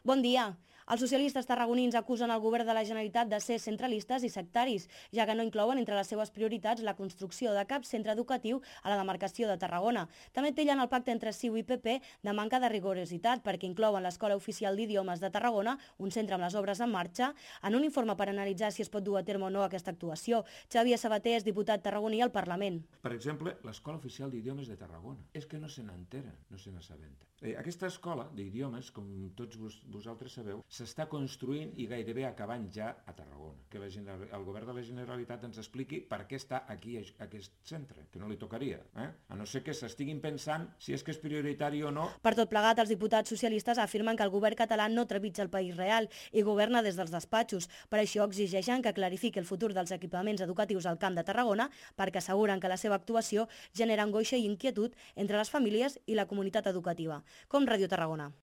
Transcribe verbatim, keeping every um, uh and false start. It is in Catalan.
Bon dia. Els socialistes tarragonins acusen el govern de la Generalitat de ser centralistes i sectaris, ja que no inclouen entre les seves prioritats la construcció de cap centre educatiu a la demarcació de Tarragona. També tillen el pacte entre C I U i P P de manca de rigorositat, perquè inclouen l'Escola Oficial d'Idiomes de Tarragona, un centre amb les obres en marxa, en un informe per analitzar si es pot dur a terme o no aquesta actuació. Xavier Sabater és diputat tarragoní al Parlament. Per exemple, l'Escola Oficial d'Idiomes de Tarragona. És que no se n'enteren, no se n'assabenten. Eh, aquesta escola d'idiomes, com tots vos, vosaltres sabeu, s'està construint i gairebé acabant ja a Tarragona. Que la, el govern de la Generalitat ens expliqui per què està aquí aquest centre, que no li tocaria. Eh? A no ser que s'estiguin pensant si és que és prioritari o no. Per tot plegat, els diputats socialistes afirmen que el govern català no trepitja el país real i governa des dels despatxos. Per això exigeixen que clarifiqui el futur dels equipaments educatius al Camp de Tarragona, perquè asseguren que la seva actuació genera angoixa i inquietud entre les famílies i la comunitat educativa. Com Ràdio Tarragona.